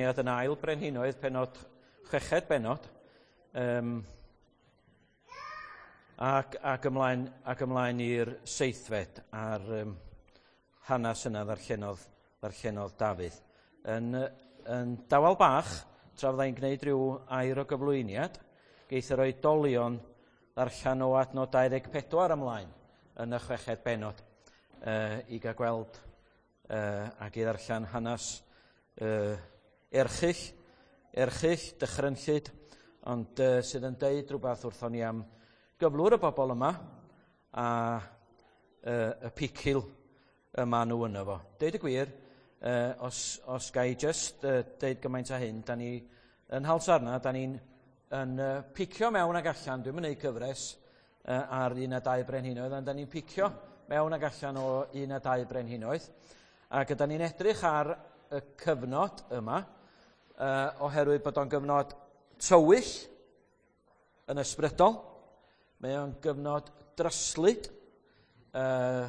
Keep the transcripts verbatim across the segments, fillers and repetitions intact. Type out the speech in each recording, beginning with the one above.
Yn ail brenhinoedd, penod, chweched benod, um, ac, ac ymlaen, ac ymlaen i'r seithfed a'r um, hanes yna ddarllenodd, ddarllenodd Dafydd. Yn, yn dawel bach, tra fyddai'n gwneud rhyw air o gyflwyniad, geith yr oedolion ddarllen o adnod dau ddeg pedwar ymlaen yn y chweched benod uh, i gael gweld uh, ac i ddarllen hanes uh, erchyll, erchyll, dychrynllyd, ond uh, sydd yn deud rhywbeth wrthon ni am gyflwr y bobl yma a uh, y picil y maen nhw yno fo. Deud y gwir, uh, os, os ga i just uh, deud gymaint â hyn, da ni yn Nhalsarna, da ni'n yn uh, picio mewn ag allan, dwi'n mynd cyfres uh, ar un a dau brenhinoedd, ond da ni'n picio mewn ag allan o un a dau brenhinoedd, ac da ni'n edrych ar y cyfnod yma, uh, oherwydd bod o'n gyfnod tywyll yn ysbrydol, mae o'n gyfnod dryslyd, uh,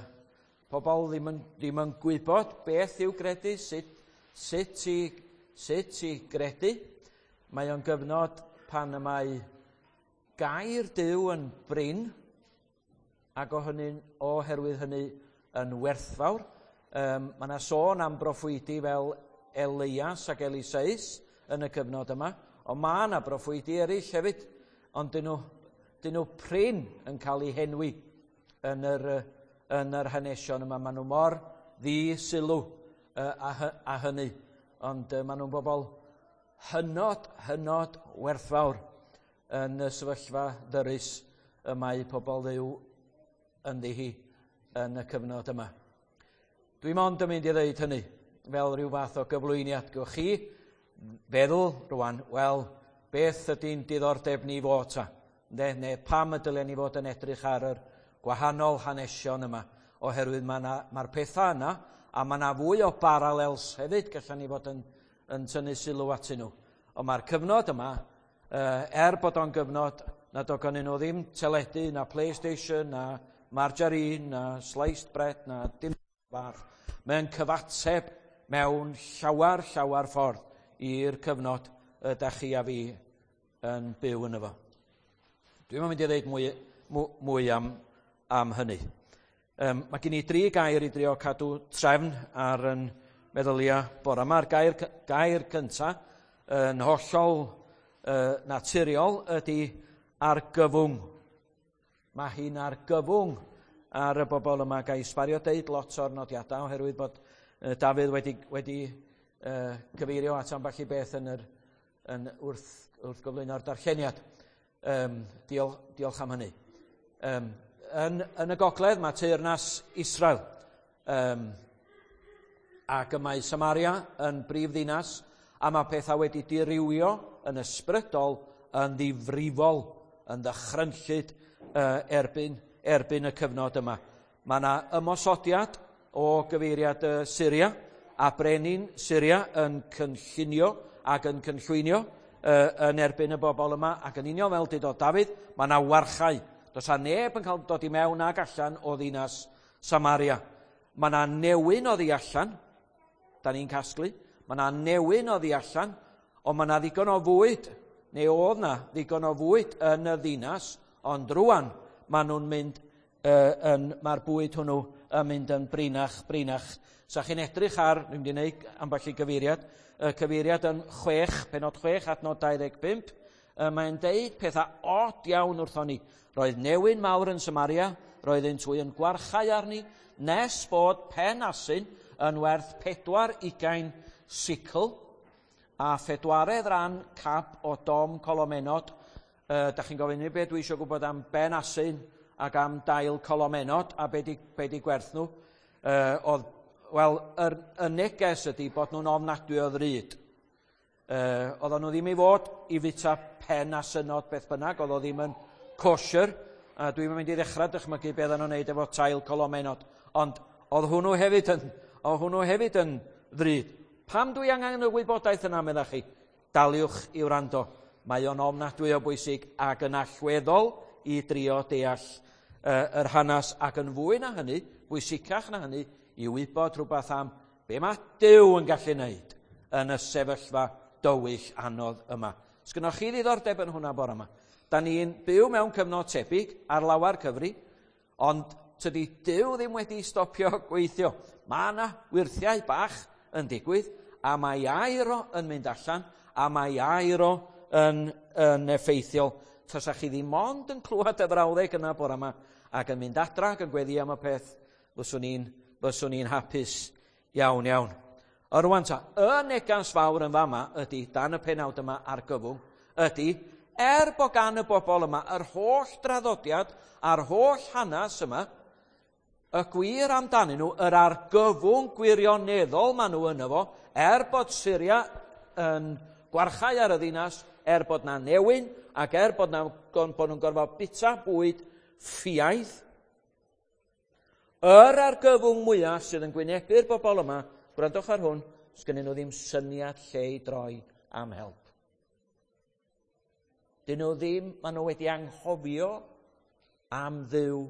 pobl ddim yn, ddim yn gwybod beth i'w gredu, sut, sut, i, sut i gredu. Mae o'n gyfnod pan y mae gair Duw yn brin, ac o hynny, oherwydd hynny yn werthfawr. Um, mae yna sôn am broffwydi fel Elias ac Eliseus yn y cyfnod yma, ond mae yna broffwydi eraill hefyd, ond dyn nhw, dyn nhw prin yn cael eu henwi yn yr, yn yr hanesion yma. Maen nhw mor ddi-sylw uh, a, a hynny, ond uh, maen nhw'n bobl hynod, hynod werthfawr yn y sefyllfa ddyrus y mae pobl Dduw ynddi hi yn y cyfnod yma. Dwi mond yn mynd i ddeud hynny fel rhyw fath o gyflwyniad. Gewch chi feddwl rwan, wel, beth ydy'n diddordeb ni fod ta? Neu, neu pam y dylen ni fod yn edrych ar yr gwahanol hanesion yma? Oherwydd mae'r ma pethau yna, a mae yna fwy o parallels hefyd, gallan ni fod yn, yn tynnu sylw atyn nhw. Ond mae'r cyfnod yma, er bod o'n gyfnod nad oedd gennyn nhw ddim teledu, na PlayStation, na margarine, na sliced bread, na dim fath. Mae'n cyfateb mewn llawer, llawer ffordd i'r cyfnod ydych chi a fi yn byw yn efo. Dwi'n mynd i ddeud mwy, mwy am, am hynny. Um, mae gen i dri gair i drio cadw trefn ar yn meddyliau bore yma. Gair, gair cyntaf yn hollol uh, naturiol ydy argyfwng. Mae hi'n argyfwng ar y bobl yma. Ga i sbario deud lot o'r nodiadau oherwydd bod uh, Dafydd wedi, wedi uh, cyfeirio at ambell i beth yn yr, yn wrth, wrth gyflwyno'r darlleniad. Um, diolch, diolch am hynny. Um, yn, yn y gogledd mae teyrnas Israel. Um, ac y mae Samaria yn brif ddinas, a mae pethau wedi dirywio yn ysbrydol, yn ddifrifol, yn ddychrynllyd uh, erbyn, erbyn y cyfnod yma. Mae yna ymosodiad o gyfeiriad uh, Syria, a brenin Syria yn cynllunio ac yn cynllwynio uh, yn erbyn y bobl yma, ac yn union fel dydodd Dafydd, mae yna warchau. Does a neb yn cael dod i mewn ag allan o ddinas Samaria. Mae yna newyn oddi allan, da ni'n casglu, mae yna newyn oddi allan, ond mae yna ddigon o fwyd, neu oedd yna ddigon o fwyd yn y ddinas, ond rwan maen nhw'n mynd, uh, yn, mae'r bwyd hwnnw yn mynd yn brinach, brinach. Sa chi'n edrych ar, dwi'n mynd i wneud ambell i gyfeiriad, y cyfeiriad yn chwech, penod chwech, adnod dau ddeg pump, mae'n deud pethau od iawn wrthon ni. Roedd newyn mawr yn Samaria, roedd un twy yn gwarchau arni, nes bod pen asyn yn werth pedwar ugain sicl a phedwaredd ran cap o dom colomenod. Uh, da chi'n gofyn i beth dwi eisiau gwybod am ben asyn ac am dail colomenod a be di, be di gwerth nhw. Uh, oedd, wel, yr, y neges ydy bod nhw'n ofnadwy o ddrud. Uh, oedden nhw ddim i fod i fita pen asynod beth bynnag, oedd o ddim yn kosher, a dwi'n mynd i ddechrau dychmygu beth oedden nhw'n neud efo tail colomenod. Ond oedd hwnnw hefyd yn, oedd hwnnw hefyd yn ddrud. Pam dwi angen y wybodaeth yna, meddach chi? Daliwch i wrando. Mae o'n ofnadwy o bwysig ac yn allweddol i drio deall uh, yr hanes, ac yn fwy na hynny, bwysicach na hynny, i wybod rhywbeth am be mae Duw yn gallu wneud yn y sefyllfa dywyll anodd yma. Sgynnoch chi ddiddordeb yn hwnna bore yma? Da ni'n byw mewn cyfnod tebyg ar lawar cyfri, ond tydi Duw ddim wedi stopio gweithio. Mae yna wyrthiau bach yn digwydd, a mae air o yn mynd allan, a mae air o yn, yn effeithiol. Tasa chi ddim ond yn clywed y frawddeg yna bore yma, ac yn mynd adra ac yn gweddi am y peth, fyswn i'n, fyswn i'n hapus iawn iawn. A rwan ta, y negas fawr yn fama ydy, dan y penawd yma argyfwng, ydy, er bod gan y bobl yma yr holl draddodiad a'r holl hanes yma, y gwir amdanyn nhw, yr argyfwng gwirioneddol maen nhw yno fo, er bod Syria yn gwarchau ar y ddinas, er bod na newyn, ac er bod, na, bod nhw'n gorfod bita bwyd ffiaidd, yr argyfwng mwyaf sydd yn gwynebu'r bobl yma, gwrandwch ar hwn, sgynnyn nhw ddim syniad lle i droi am help. Dyn nhw ddim, maen nhw wedi anghofio am Dduw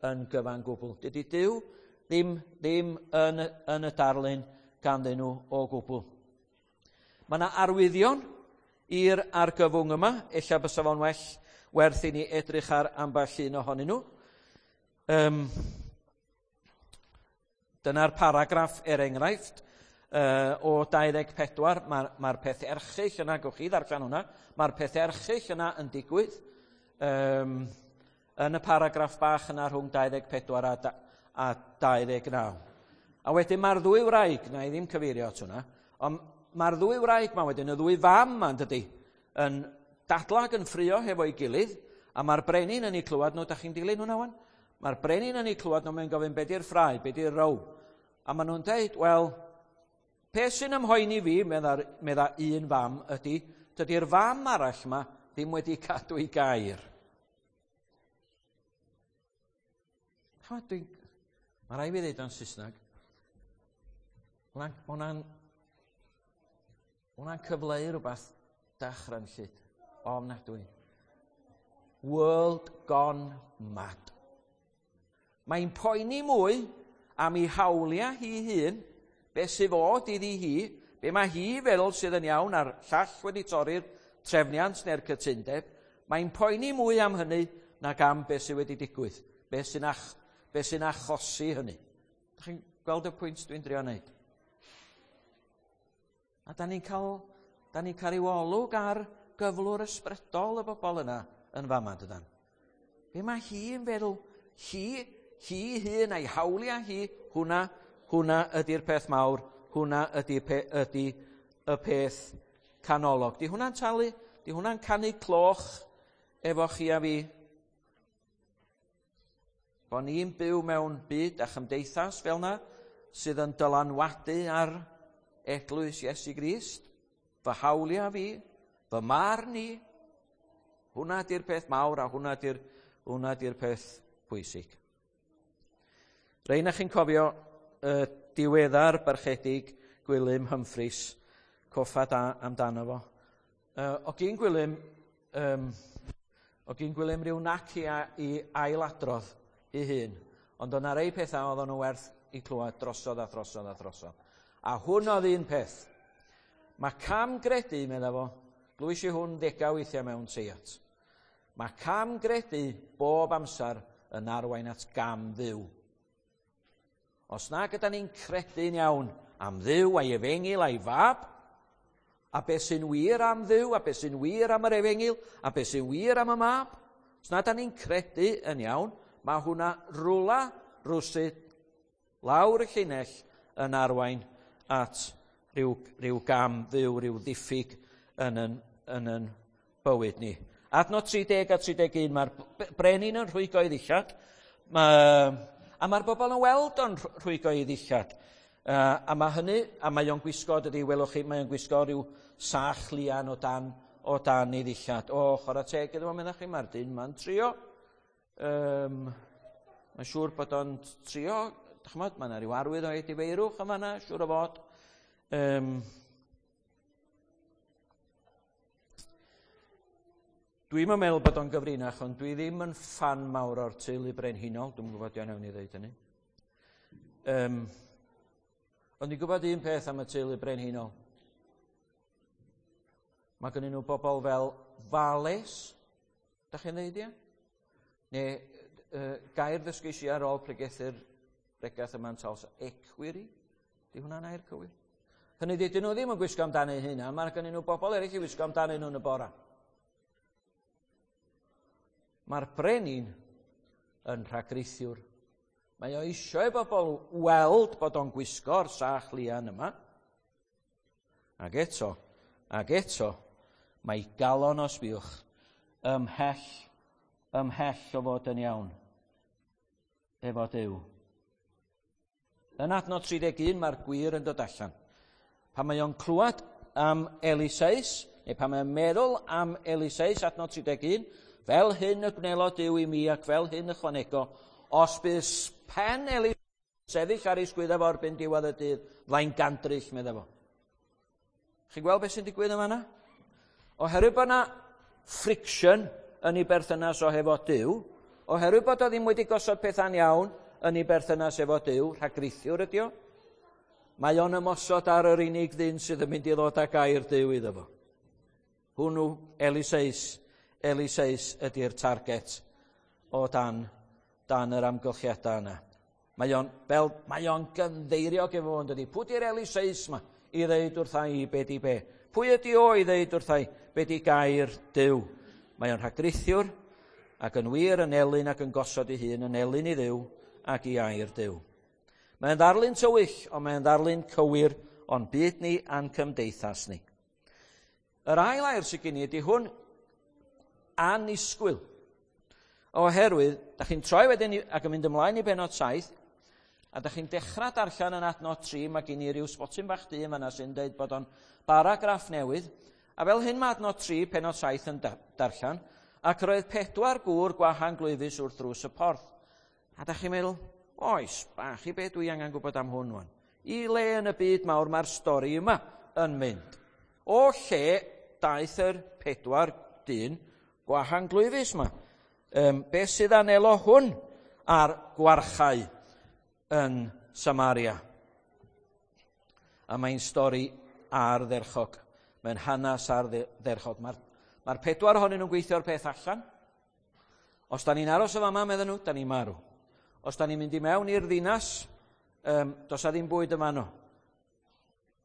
yn gyfan gwbl. Dydy Duw ddim, ddim yn, yn y darlun ganddyn nhw o gwbl. Mae yna arwyddion i'r argyfwng yma, ella bysa fo'n well werth i ni edrych ar ambell un ohonyn nhw. Um, dyna'r paragraff er enghraifft uh, o dau ddeg pedwar. Mae'r mae peth erchyll yna, gewch chi ddarllen hwnna, mae'r peth erchyll yna yn digwydd um, yn y paragraff bach yna rhwng dau ddeg pedwar a, da, a dau ddeg naw. A wedyn mae'r ddwy wraig, na i ddim cyfeirio at hwnna, ond mae'r ddwy wraig ma wedyn, y ddwy fam ma, dydy, yn dadlag yn ffrio hefo'i gilydd, a mae'r brenin yn ei clywed nhw, da chi'n dilyn hwnna wan? Mae'r brenin yn ei clywed nhw, mae'n gofyn, be di'r ffrae, be di'r row? A maen nhw'n deud, wel, peth sy'n ymhoeni fi, medda, medda un fam, ydy, dydy'r fam arall yma ddim wedi cadw ei gair. Chymod, dwi'n... Mae rhaid fi ddeud o'n Saesneg. Hwna'n hwnna'n cyfleu rhywbeth dychrynllyd. Ofnadwy. World gone mad. Mae'n poeni mwy am ei hawliau hi hun, be sydd fod iddi hi, be mae hi feddwl sydd yn iawn a'r llall wedi torri'r trefniant neu'r cytundeb. Mae'n poeni mwy am hynny nag am be sydd wedi digwydd, be sy'n ach, be sy'n achosi hynny. Dach chi'n gweld y pwynt dwi'n drio wneud? A da ni'n cael, da ni'n cael ryw olwg ar gyflwr ysbrydol y bobl yna yn fama, dydan. Be mae hi'n feddwl, hi, hi hun a'i hawliau hi, hwnna, hwnna ydy'r peth mawr, hwnna ydy, pe, ydy y peth canolog. Di hwnna'n talu, di hwnna'n canu cloch efo chi a fi? Bo ni'n byw mewn byd a chymdeithas fel na, sydd yn dylanwadu ar eglwys Iesu Grist, fy hawliau fi, fy marn i, hwnna di'r peth mawr a hwnna di'r hwnna di'r peth pwysig. Rhaid na chi'n cofio uh, diweddar barchedig Gwilym Humphreys, coffa da amdano fo. Uh, o gyn Gwilym, um, o gyn Gwilym rhyw nac i, i ailadrodd ei hun, ond o'na rei pethau oedd nhw werth i clywed drosodd a throsodd a throsodd. A hwn oedd un peth. Mae cam gredu, medda fo, glwys i hwn ddegau weithiau mewn seiat. Mae cam gredu bob amser yn arwain at gam Dduw. Os na gyda ni'n credu'n iawn am Dduw a'i efengyl a'i fab, a beth sy'n wir am Dduw, a beth sy'n wir am yr efengyl, a beth sy'n wir am y mab, os na da ni'n credu yn iawn, mae hwnna rwla rwsut lawr y llinell yn arwain at rhyw, rhyw gam Dduw, rhyw ddiffyg yn yn, yn yn bywyd ni. Adnod tri deg a tri deg un, mae'r brenin yn rhwygo ei ddillad, mae, a mae'r bobl yn weld o'n rhwygo ei ddillad. Uh, a mae hynny, a mae o'n gwisgo, dydy, welwch chi, mae o'n gwisgo rhyw sach lian o dan, o dan ei ddillad. O, chwarae teg iddo fo, meddach chi, mae'r dyn ma'n trio. Um, mae'n siŵr bod o'n trio, ch'mod, mae yna rhyw arwydd o edifeirwch yn fan'na, siŵr o fod. Um, Dwi'm yn meddwl bod o'n gyfrinach, ond dwi ddim yn ffan mawr o'r teulu brenhinol. Dwi'm yn gwybod iawn iawn i ddeud hynny. Um, ond dwi'n gwybod un peth am y teulu brenhinol. Mae gen nhw bobl fel valets, da chi'n dweud ia? Neu uh, gair ddysgais i ar ôl pregethu'r bregath yma'n Talsa, equerry? Di hwnna'n air cywir? Hynny ydy, dyn nhw ddim yn gwisgo amdano eu hunain, mae gen nhw bobl eraill i wisgo amdano nhw yn y bora. Mae'r brenin yn rhagrithiwr. Mae o eisiau i bobl weld bod o'n gwisgo'r sach lian yma. Ac eto, ac eto, mae galon o sbiwch ymhell, ymhell o fod yn iawn efo Duw. Yn adnod tri deg un mae'r gwir yn dod allan. Pan mae o'n clywed am Eliseus, neu pan mae o'n meddwl am Eliseus, adnod tri deg un, fel hyn y gwnelo Duw i mi ac fel hyn ychwanego, os bydd pen Eliseus sefyll ar ei sgwydda fo erbyn diwedd y dydd, flaen gandryll, medda fo. Chi'n gweld beth sy'n digwydd yma yna? Oherwydd bod yna friction yn ei berthynas o hefo Duw, oherwydd bod o ddim wedi gosod pethau'n iawn yn ei berthynas efo Duw, rhagrithiwr ydi o, mae o'n ymosod ar yr unig ddyn sydd yn mynd i ddod â gair Duw iddo fo. Hwnnw, Eliseus, Eliseus ydy'r target o dan, dan yr amgylchiadau yna. Mae o'n, fel, mae o'n gynddeiriog efo fo'n dydi. Pwy di'r Eliseus ma i ddeud wrtha i be di be? Pwy ydi o i ddeud wrtha i be di gair Duw? Mae o'n rhagrithiwr ac yn wir yn elyn ac yn gosod ei hun yn elyn i Dduw ac i air Duw. Mae'n ddarlun tywyll, ond mae'n ddarlun cywir o'n byd ni a'n cymdeithas ni. Yr ail air sydd gen i ydy hwn, annisgwyl. Oherwydd, da chi'n troi wedyn ac yn mynd ymlaen i benod saith, a da chi'n dechrau darllen yn adnod tri, mae gen i ryw sbotyn bach du yma sy'n dweud bod o'n baragraff newydd, a fel hyn mae adnod tri, penod saith yn darllen, ac roedd pedwar gŵr gwahanglwyfus wrth ddrws y porth. A da chi'n meddwl, oes, bach i be dwi angen gwybod am hwn wan. I le yn y byd mawr mae'r stori yma yn mynd. O lle daeth yr pedwar dyn gwahanglwyfus yma? Um, beth sydd anelo hwn ar gwarchau yn Samaria? A mae'n stori ardderchog. Mae'n hanes ardderchog. Mae'r mae pedwar ohonyn nhw'n gweithio'r peth allan. Os da ni'n aros o fama, medden nhw, da ni'n marw. Os da ni'n mynd i mewn i'r ddinas, um, does a ddim bwyd yma nhw.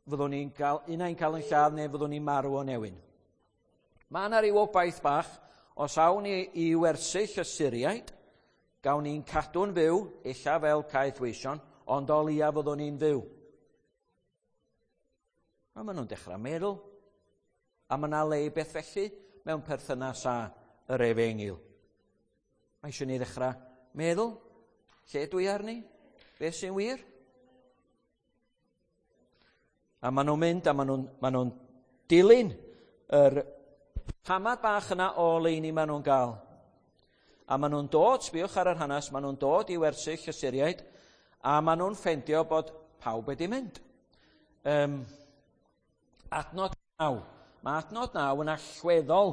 Fyddwn ni'n cael, un ai'n cael yn lladd neu fyddwn ni'n marw o newyn. Mae yna ryw obaith bach, os awn ni i wersyll y Syriaid, gawn ni'n cadw'n fyw, ella fel caethweision, ond o leia fyddwn ni'n fyw. A maen nhw'n dechrau meddwl, a mae yna le i beth felly mewn perthynas â yr efengyl. Mae eisiau ni ddechrau meddwl, lle dwi arni? Beth sy'n wir? A maen nhw'n mynd a maen nhw'n ma nhw dilyn yr tamad bach yna o leini maen nhw'n gael. A maen nhw'n dod, sbiwch ar yr hanes, maen nhw'n dod i wersyll y Syriaid, a maen nhw'n ffendio bod pawb wedi mynd. Um, adnod naw. Mae adnod naw yn allweddol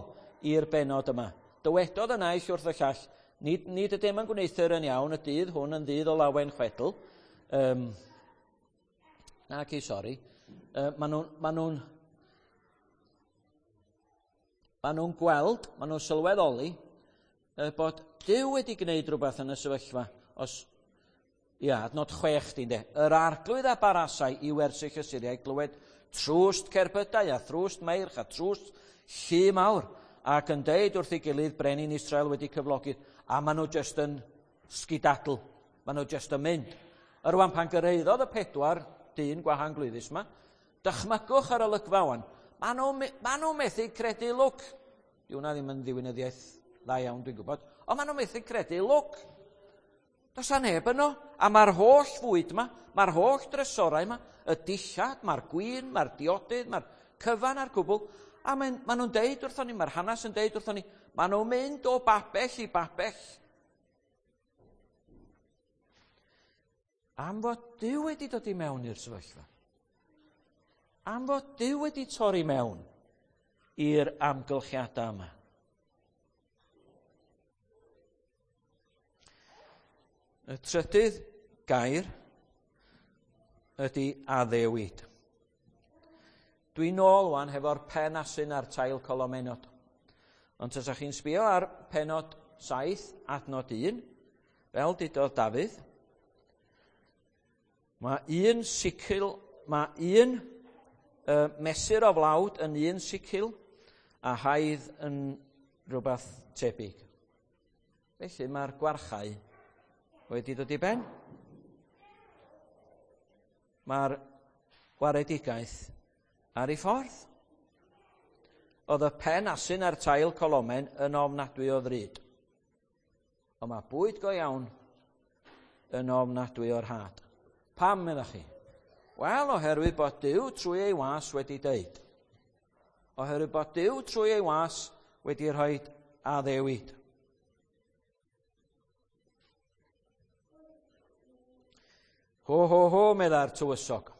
i'r benod yma. Dywedodd y naill wrth y llall, nid, nid ydym yn gwneuthur yn iawn, y dydd hwn yn ddydd o lawen chwedl. Um, na, ci, sori. Uh, maen nhw'n ma nhw, ma nhw'n gweld, maen nhw'n sylweddoli uh, bod Duw wedi gwneud rhywbeth yn y sefyllfa. Os, ia, adnod chwech di'n de. Yr arglwydd a barasai i wersyll y Syriaid glywed trwst cerbydau a thrwst meirch a trwst llu mawr, ac yn deud wrth ei gilydd brenin Israel wedi cyflogi, a maen nhw jyst yn sgidadl, maen nhw jyst yn mynd. Yr wan pan gyrhaeddodd y pedwar dyn gwahanglwyfus yma, dychmygwch ar olygfa wan, maen nhw, ma nhw methu credu lwc. Di hwnna ddim yn ddiwinyddiaeth dda iawn, dwi'n gwybod, ond maen nhw methu credu lwc. Does a neb yno, a mae'r holl fwyd yma, mae'r holl drysorau yma, y dillad, mae'r gwin, mae'r diodydd, mae'r cyfan a'r cwbl, a maen, maen nhw'n deud wrthon ni, mae'r hanes yn deud wrthon ni, maen nhw'n mynd o babell i babell. Am fod Duw wedi dod i mewn i'r sefyllfa. Am fod Duw wedi torri mewn i'r amgylchiadau yma. Y trydydd gair ydy addewid. Dwi'n nôl wan hefo'r pen asyn a'r tail colomenod. Ond tasach chi'n sbio ar penod saith, adnod un, fel dudodd Dafydd, mae un sicl, mae un uh, mesur o flawd yn un sicl a haidd yn rhywbeth tebyg. Felly mae'r gwarchau wedi dod i ben. Mae'r waredigaeth ar ei ffordd. Oedd y pen asyn a'r tail colomen yn ofnadwy o ddrud. Ond mae bwyd go iawn yn ofnadwy o'r rhad. Pam, meddach chi? Wel, oherwydd bod Duw trwy ei was wedi deud. Oherwydd bod Duw trwy ei was wedi rhoi addewid. Ho, ho, ho, medda'r tywysog.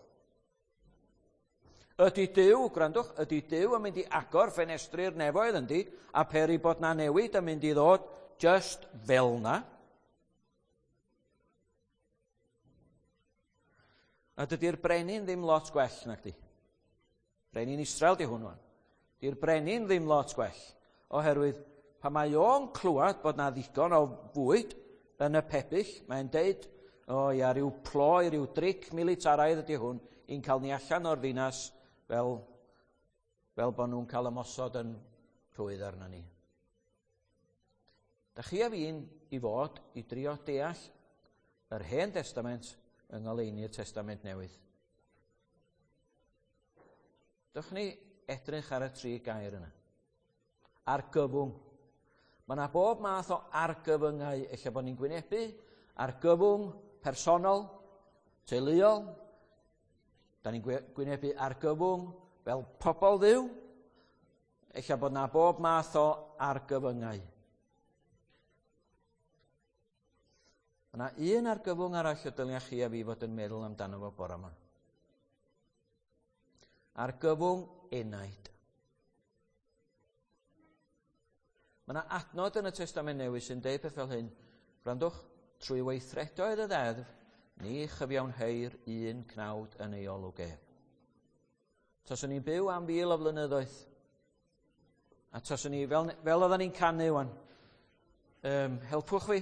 Ydy Duw, gwrandwch, ydy Duw yn mynd i agor ffenestri'r nefoedd yndi, a peri bod na newid yn mynd i ddod just fel na. A dydy'r brenin ddim lot gwell nag di. Brenin Israel di hwn wan. Di'r brenin ddim lot gwell, oherwydd pan mae o'n clywed bod na ddigon o fwyd yn y pebyll, mae'n deud, o ia, rhyw ploi, rhyw dric militaraidd ydy hwn, i'n cael ni allan o'r ddinas fel, fel bod nhw'n cael ymosod yn rhwydd arno ni. Da chi a fi'n i fod i drio deall yr Hen Testament yng ngoleuni'r Testament Newydd. Dwch ni edrych ar y tri gair yna. Argyfwng. Mae yna bob math o argyfyngau ella bod ni'n gwynebu. Argyfwng personol, teuluol. Da ni'n gwynebu argyfwng fel pobl Dduw. Ella bod yna bob math o argyfyngau. Mae yna un argyfwng arall y dylia chi a fi fod yn meddwl amdano fo bore yma. Argyfwng enaid. Mae yna adnod yn y Testament Newydd sy'n deud peth fel hyn. Gwrandwch, trwy weithredoedd y ddeddf, ni chyfiawnheir un cnawd yn ei olwg ef. Taswn ni'n byw am fil o flynyddoedd, a taswn ni, fel, fel oedden ni'n canu wan, um, helpwch fi,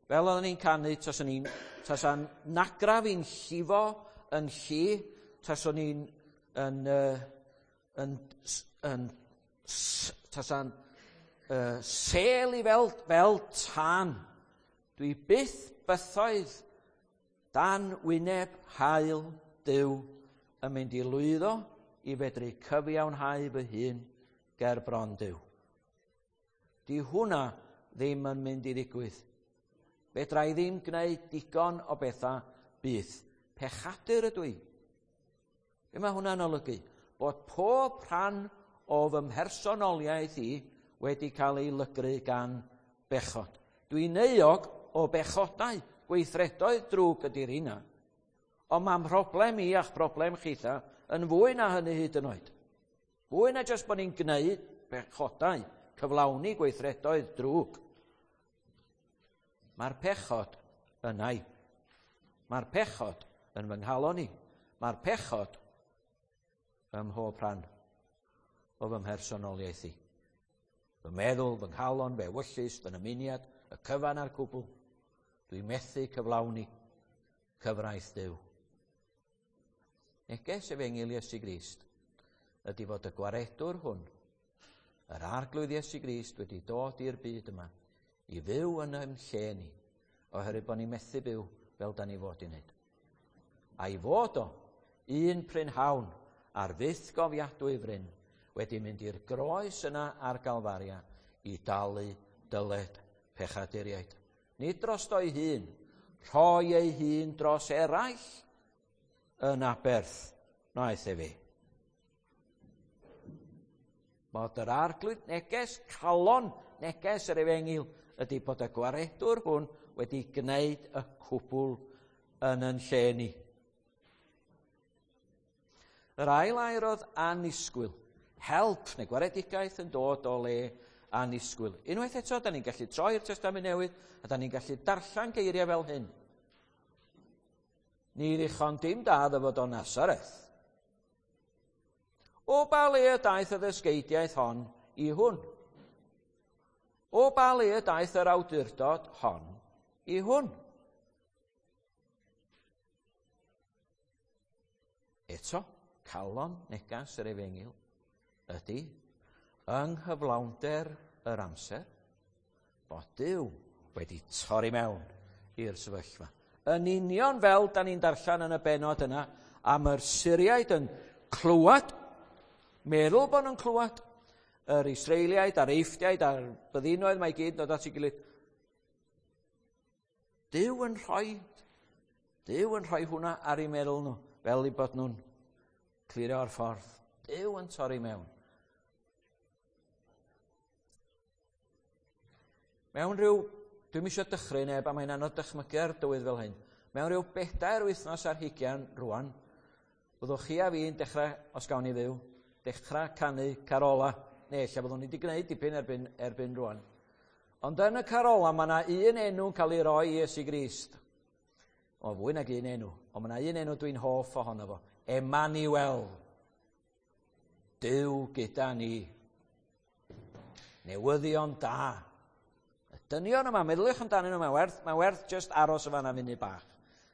fel oedden ni'n canu, taswn ni'n, tasa'n nagra fi'n llifo yn lli, taswn ni'n yn, uh, yn, yn, tasa'n uh, sel i fel, fel tân. Dwi byth bythoedd dan wyneb haul Duw yn mynd i lwyddo i fedru cyfiawnhau fy hun ger bron Duw. Di hwnna ddim yn mynd i ddigwydd. Fedra i ddim gwneud digon o bethau byth. Pechadur ydw i. Be mae hwnna'n olygu? Bod pob rhan o fy mhersonoliaeth i wedi cael ei lygru gan bechod. Dwi'n euog o bechodau, gweithredoedd drwg ydy'r hynna. Ond mae'n problem i a'ch problem chitha yn fwy na hynny hyd yn oed. Fwy na jyst bod ni'n gwneud bechodau, cyflawni gweithredoedd drwg. Mae'r pechod yna i. Mae'r pechod yn fy nghalon i. Mae'r pechod ym mhob rhan o fy mhersonoliaeth i. Fy meddwl, fy nghalon, fy ewyllys, fy nymuniad, y cyfan a'r cwbl. Dwi'n methu cyflawni cyfraith Duw. Neges Efengyl Iesu Grist ydy fod y gwaredwr hwn, yr Arglwydd Iesu Grist, wedi dod i'r byd yma i fyw yn ein lle ni, oherwydd bod ni'n methu byw fel da ni fod i wneud. A'i fod o, un prynhawn ar fyth gofiadwy fryn, wedi mynd i'r groes yna ar Galfaria i dalu dyled pechaduriaid. Nid drosto'i hun, rhoi ei hun dros eraill yn aberth wnaeth e fi. Bod yr Arglwydd neges, calon neges yr Efengyl ydy bod y gwaredwr hwn wedi gwneud y cwbl yn yn lle ni. Yr ail air oedd annisgwyl. Help neu gwaredigaeth yn dod o le annisgwyl. Unwaith eto, da ni'n gallu troi'r Testament Newydd a da ni'n gallu darllen geiriau fel hyn. Ni ddichon dim da ddyfod o Nazareth. O ba le y daeth y ddysgeidiaeth hon i hwn? O ba le y daeth yr awdurdod hon i hwn? Eto, calon negas yr efengyl ydy, yng nghyflawnder yr amser, bod Duw wedi torri mewn i'r sefyllfa. Yn union fel da ni'n darllen yn y bennod yna, am yr Syriaid yn clywed, meddwl bod nhw'n clywed, yr Israeliaid a'r Eifftiaid a'r byddinoedd mae gyd yn dod at ei gilydd. Duw yn rhoi, Duw yn rhoi hwnna ar eu meddwl nhw, fel eu bod nhw'n clirio'r ffordd. Duw yn torri mewn. Mewn rhyw, dwi'm eisiau dychryn neb, a mae'n anodd dychmygu ar dywydd fel hyn. Mewn rhyw bedair wythnos ar hugain rwan, byddwch chi a fi'n dechrau, os gawn ni fyw, dechrau canu carola. Neu, ella byddwn ni wedi gwneud dipyn erbyn, erbyn rwan. Ond yn y carola, mae yna un enw'n cael ei roi i Iesu Grist. O, fwy nag un enw. Ond mae yna un enw dwi'n hoff ohono fo. Emmanuel. Duw gyda ni. Newyddion da. Y dynion yma, meddyliwch amdanyn nhw, mae'n werth, mae'n werth just aros y fanna munud bach.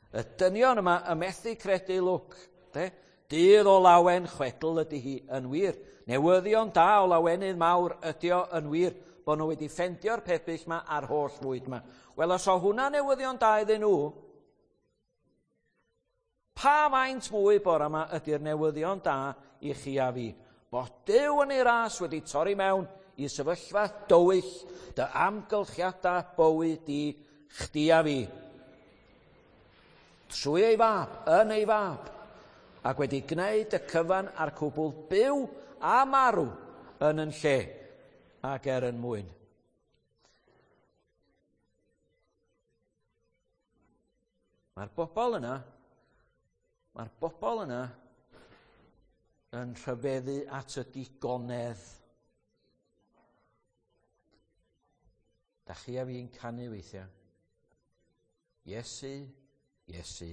Y dynion yma y methu credu lwc. De? Dydd o lawen chwedl ydy hi yn wir. Newyddion da o lawenydd mawr ydy o yn wir. Bod nhw wedi ffendio'r pebyll yma a'r holl fwyd yma. Wel, os o hwnna newyddion da iddyn nhw, pa faint mwy bore yma ydy'r newyddion da i chi a fi? Bod Duw yn ei ras wedi torri mewn i sefyllfa dywyll dy amgylchiadau bywyd di chdi a fi. Trwy ei fab, yn ei fab, ac wedi gwneud y cyfan a'r cwbl byw a marw yn yn lle ac er yn mwyn. Mae'r bobl yna, mae'r bobl yna yn rhyfeddu at y digonedd. Da chi a fi'n canu weithiau. Iesu, Iesu,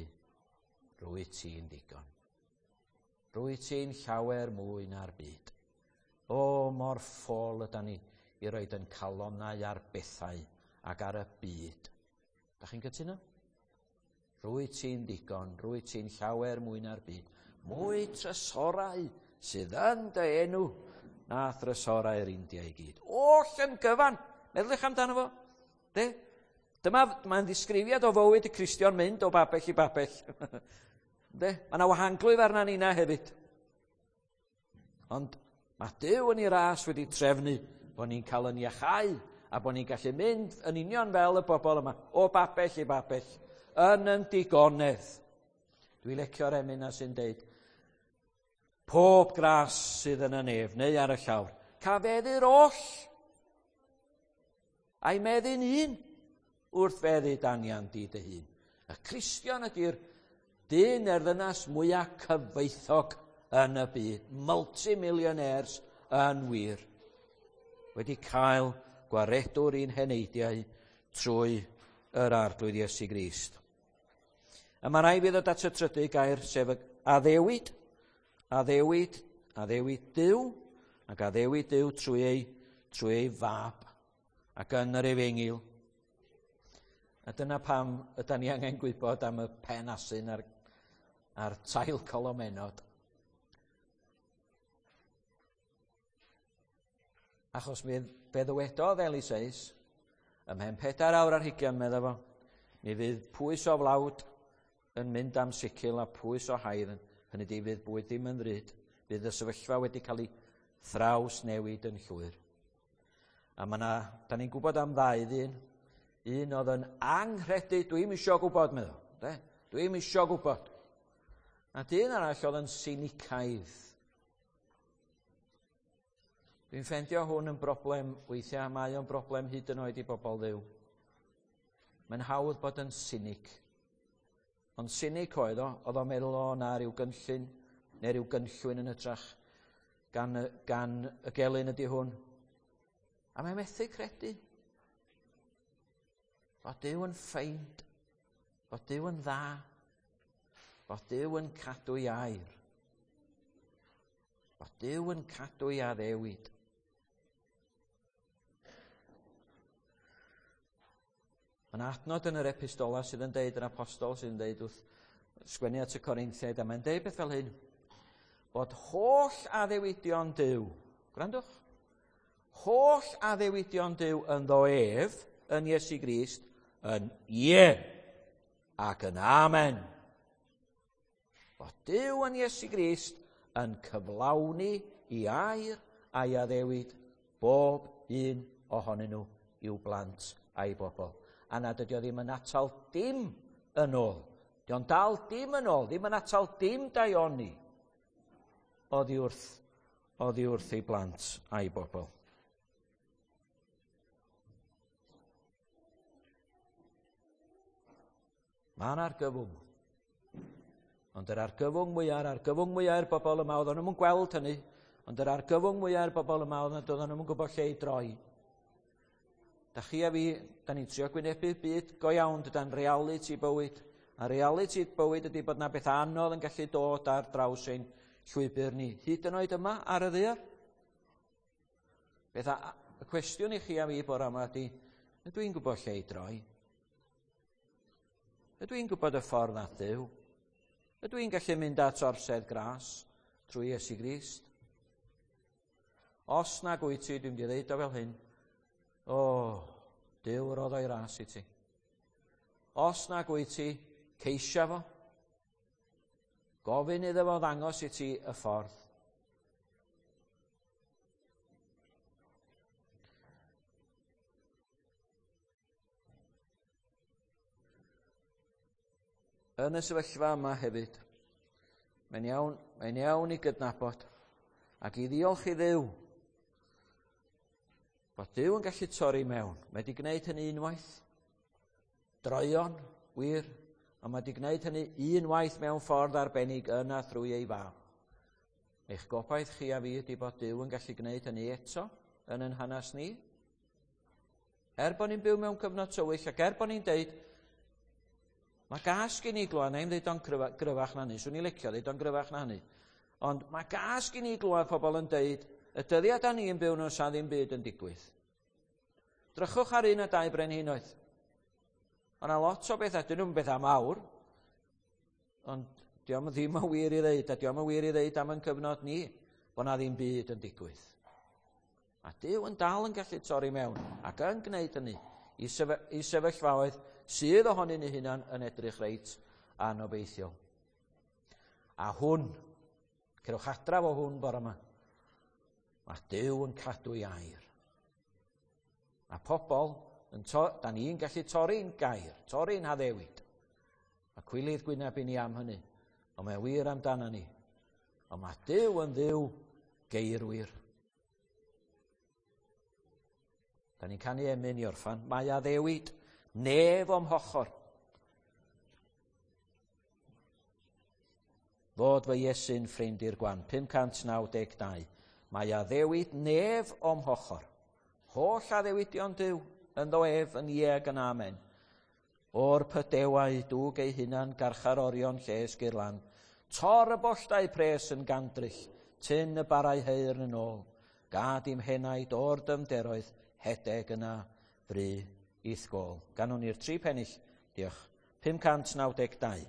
rwy ti'n ddigon. Rwy ti'n llawer mwy na'r byd. O, mor ffôl ydan ni i roed yn calonnau ar bethau ac ar y byd. Da chi'n cytuno? Rwy ti'n ddigon, rwy ti'n llawer mwy na'r byd. Mwy trysorau sydd yn dy enw na thrysorau'r India i gyd. Oll yn gyfan. Meddyliwch amdano fo. De? Dyma, mae'n ddisgrifiad o fywyd y Cristion mynd o babell i babell. De? Mae yna wahanglwyf arna ni na hefyd. Ond mae Duw yn ei ras wedi trefnu bod ni'n cael yn iachau a bod ni'n gallu mynd yn union fel y bobl yma, o babell i babell, yn yn digonedd. Dwi'n licio'r emyn na sy'n deud, pob gras sydd yn y nef neu ar y llawr, cafeddu'r oll, a'i meddu'n un wrth feddu danian di dy hun. Y Cristion ydy'r dyn neu'r ddynas mwyaf cyfoethog yn y byd, multimillionaires yn wir, wedi cael gwaredwr i'n heneidiau trwy yr Arglwydd Iesu Grist. A mae rhaid fi ddod at y trydydd gair, sef addewid, addewid, addewid Duw, ac addewid Duw trwy ei, trwy ei fab, ac yn yr efengyl. A dyna pam ydan ni angen gwybod am y pen asyn a'r, a'r tail colomenod. Achos mi fe ddywedodd Eliseus, ymhen pedair awr ar hugain, medda fo, mi fydd pwys o flawd yn mynd am sicil a pwys o haidd, hynny ydi fydd bwyd ddim yn ddrud, fydd y sefyllfa wedi cael ei thraws newid yn llwyr. A mae 'na, da ni'n gwybod am ddau ddyn, un oedd yn anghredu, dwi'm isio gwybod, meddwl, de? Dwi'm isio gwybod. A dyn arall oedd yn sinicaidd. Dwi'n ffeindio hwn yn broblem weithiau, mae o'n broblem hyd yn oed i bobl Dduw. Mae'n hawdd bod yn sinic. Ond sinic oedd o, oedd o'n meddwl o na rhyw gynllun, neu rhyw gynllwyn yn hytrach gan, gan y gelyn ydy hwn. A mae'n methu credu. Bod Duw yn ffeind, bod Duw yn dda, bod Duw yn cadw ei air. Bod Duw yn cadw ei addewid. Mae yna adnod yn yr epistola sydd yn deud, yr apostol sydd yn deud wrth sgwennu at y Corinthiaid, a mae'n deud beth fel hyn, bod holl addewidion Duw, gwrandwch, holl addewidion Duw ynddo ef, yn Iesu Grist, yn ie ac yn amen. Bod Duw yn Iesu Grist yn cyflawni i air a'i addewid bob un ohonyn nhw i'w blant a'i bobl. A nad ydy o ddim yn atal dim yn ôl. Di o'n dal dim yn ôl, ddim yn atal dim daioni oddi wrth, oddi wrth ei blant a'i bobl. Mae yna argyfwng. Ond yr argyfwng mwyaf, yr argyfwng mwyaf i'r bobl yma, oedden nhw'n gweld hynny, ond yr argyfwng mwyaf i'r bobl yma, oedden nhw'n gwybod lle i droi. Da chi a fi, da ni'n trio gwynebu byd go iawn, dyda'n reality bywyd. A reality bywyd ydy bod na beth anodd yn gallu dod ar draws ein llwybr ni. Hyd yn oed yma ar y ddaear. Beth a, y cwestiwn i chi a fi bore yma ydy, ydw i'n gwybod lle i droi? Ydw i'n gwybod y ffordd at Dduw? Ydw i'n gallu mynd at orsedd gras trwy Iesu Grist? Os nag wyt ti, dwi'n mynd i ddeud o fel hyn, o, Duw roddo ei ras i ti. Os nag wyt ti, ceisia fo. Gofyn iddo fo ddangos i ti y ffordd. Yn y sefyllfa yma hefyd, mae'n iawn, mae'n iawn i gydnabod ac i ddiolch i Dduw bod Duw yn gallu torri mewn. Mae wedi gwneud hynny unwaith, droeon, wir, ond mae wedi gwneud hynny unwaith mewn ffordd arbennig yna thrwy ei fab. Eich gobaith chi a fi ydy bod Duw yn gallu gwneud hynny eto yn ein hanes ni. Er bod ni'n byw mewn cyfnod tywyll ac er bod ni'n deud, mae gas gen i glwad, na i'm ddeud o'n gryfach na hynny, swn i'n licio ddeud o'n gryfach na hynny, ond mae gas gen i glwad pobl yn deud, y dyddiau da ni yn byw nhw sa ddim byd yn digwydd. Drychwch ar un a dau brenhinoedd. Ond yna lot o bethau, dyn nhw'n bethau mawr, ond dio'm ddim yn wir i ddeud, a dio'm yn wir i ddeud am ein cyfnod ni, bod na ddim byd yn digwydd. A Duw yn dal yn gallu torri mewn ac yn gwneud hynny i, sef i sefyllfaoedd sydd ohonyn ni hunan yn edrych reit anobeithiol. A hwn, cerwch adra fo hwn bore yma, mae Duw yn cadw ei air. A pobl, yn to, da ni'n gallu torri'n gair, torri'n haddewid. A cwilydd gwyneb i ni am hynny, ond mae wir amdano ni. Ond mae Duw yn Dduw geirwir. Da ni'n canu emyn i orffan. Mae addewid nef o'm hochor. Fod fy Iesu'n ffrind i'r gwan. pum cant naw deg dau. Mae addewid nef o'm hochor. Holl addewidion Duw ynddo ef yn ie ac yn amen. O'r pydewau dwg ei hunan garcharorion lles Girlan. Tor y bolltau pres yn gandryll, tyn y barau heirn yn ôl. Gad i'm henaid o'r dymderoedd, hedeg yna fry i'th gôl. Ganwn ni'r tri pennill. Diolch. pum cant naw deg dau.